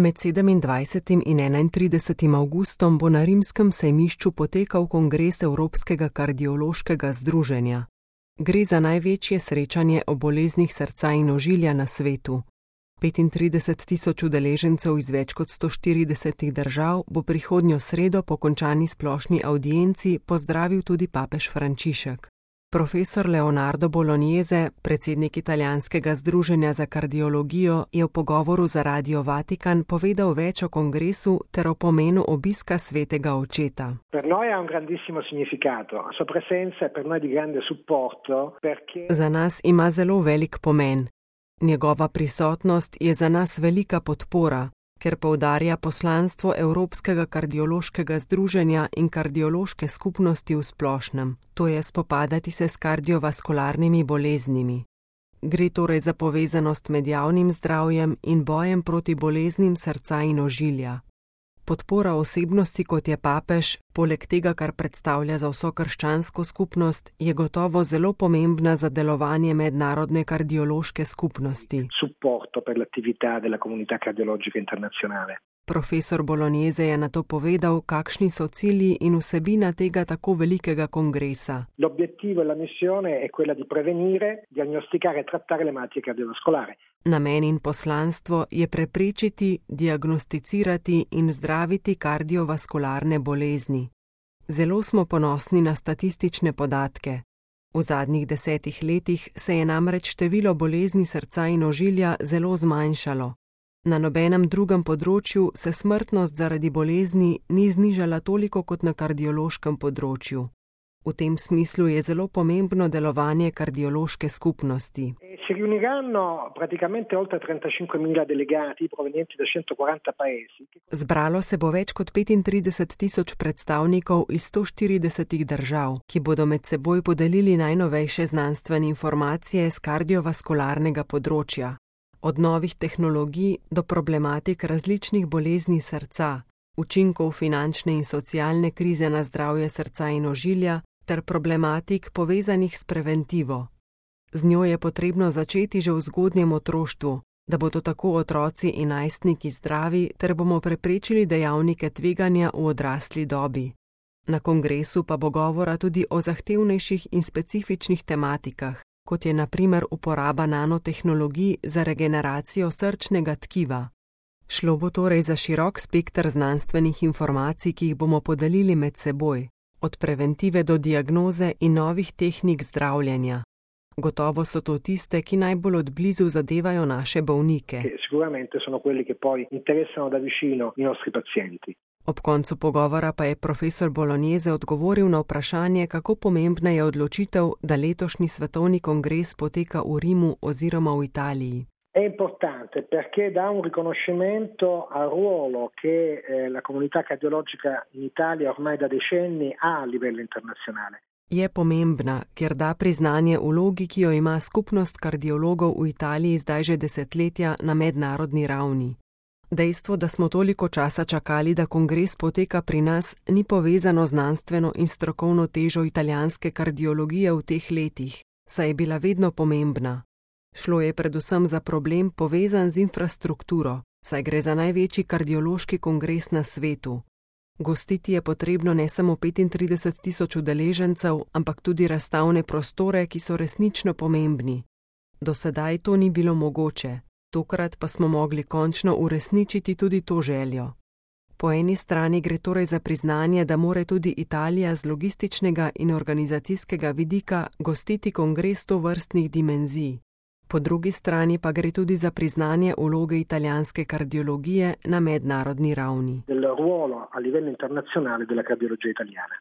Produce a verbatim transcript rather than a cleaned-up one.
Med sedemindvajsetim in enaintridesetim avgustom bo na rimskem sejmišču potekal kongres Evropskega kardiološkega združenja. Gre za največje srečanje o boleznih srca in ožilja na svetu. petintrideset tisoč udeležencev iz več kot sto štiridesetih držav bo prihodnjo sredo po končani splošni avdienci pozdravil tudi papež Frančišek. Profesor Leonardo Bolognese, predsednik italijanskega združenja za kardiologijo, je v pogovoru za Radio Vatikan povedal več o kongresu ter o pomenu obiska svetega očeta. Za nas ima zelo velik pomen. Njegova prisotnost je za nas velika podpora, ker poudarja poslanstvo Evropskega kardiološkega združenja in kardiološke skupnosti v splošnem, to je spopadati se s kardiovaskularnimi boleznimi. Gre torej za povezanost med javnim zdravjem in bojem proti boleznim srca in ožilja. Podpora osebnosti, kot je papež, poleg tega, kar predstavlja za vso krščansko skupnost, je gotovo zelo pomembna za delovanje mednarodne kardiološke skupnosti. Profesor Bolognese je nato povedal, kakšni so cilji in vsebina tega tako velikega kongresa. Namen in poslanstvo je preprečiti, diagnosticirati in zdraviti kardiovaskularne bolezni. Zelo smo ponosni na statistične podatke. V zadnjih desetih letih se je namreč število bolezni srca in ožilja zelo zmanjšalo. Na nobenem drugem področju se smrtnost zaradi bolezni ni znižala toliko kot na kardiološkem področju. V tem smislu je zelo pomembno delovanje kardiološke skupnosti. Zbralo se bo več kot petintrideset tisoč predstavnikov iz sto štiridesetih držav, ki bodo med seboj podelili najnovejše znanstvene informacije z kardiovaskularnega področja. Od novih tehnologij do problematik različnih bolezni srca, učinkov finančne in socialne krize na zdravje srca in ožilja ter problematik povezanih s preventivo. Z njo je potrebno začeti že v zgodnjem otroštvu, da bodo tako otroci in najstniki zdravi ter bomo preprečili dejavnike tveganja v odrasli dobi. Na kongresu pa bo govora tudi o zahtevnejših in specifičnih tematikah, kot je na primer uporaba nanotehnologij za regeneracijo srčnega tkiva. Šlo bo torej za širok spekter znanstvenih informacij, ki jih bomo podelili med seboj, od preventive do diagnoze in novih tehnik zdravljenja. Gotovo so to tiste, ki najbolj od blizu zadevajo naše bolnike. Ob koncu pogovora pa je profesor Bolognese odgovoril na vprašanje, kako pomembna je odločitev, da letošnji svetovni kongres poteka v Rimu oziroma v Italiji. È importante perché dà un riconoscimento al ruolo che eh, la comunità cardiologica in Italia ormai da decenni ha a livello internazionale. Je pomembna, ker da priznanje vlogi, ki jo ima skupnost kardiologov v Italiji zdaj že desetletja na mednarodni ravni. Dejstvo, da smo toliko časa čakali, da kongres poteka pri nas, ni povezano znanstveno in strokovno težo italijanske kardiologije v teh letih, saj je bila vedno pomembna. Šlo je predvsem za problem povezan z infrastrukturo, saj gre za največji kardiološki kongres na svetu. Gostiti je potrebno ne samo petintrideset tisoč udeležencev, ampak tudi razstavne prostore, ki so resnično pomembni. Do sedaj to ni bilo mogoče, tokrat pa smo mogli končno uresničiti tudi to željo. Po eni strani gre torej za priznanje, da more tudi Italija z logističnega in organizacijskega vidika gostiti kongres tovrstnih dimenzij. Po drugi strani pa gre tudi za priznanje vloge italijanske kardiologije na mednarodni ravni. Del ruolo a livello internazionale della cardiologia italiana.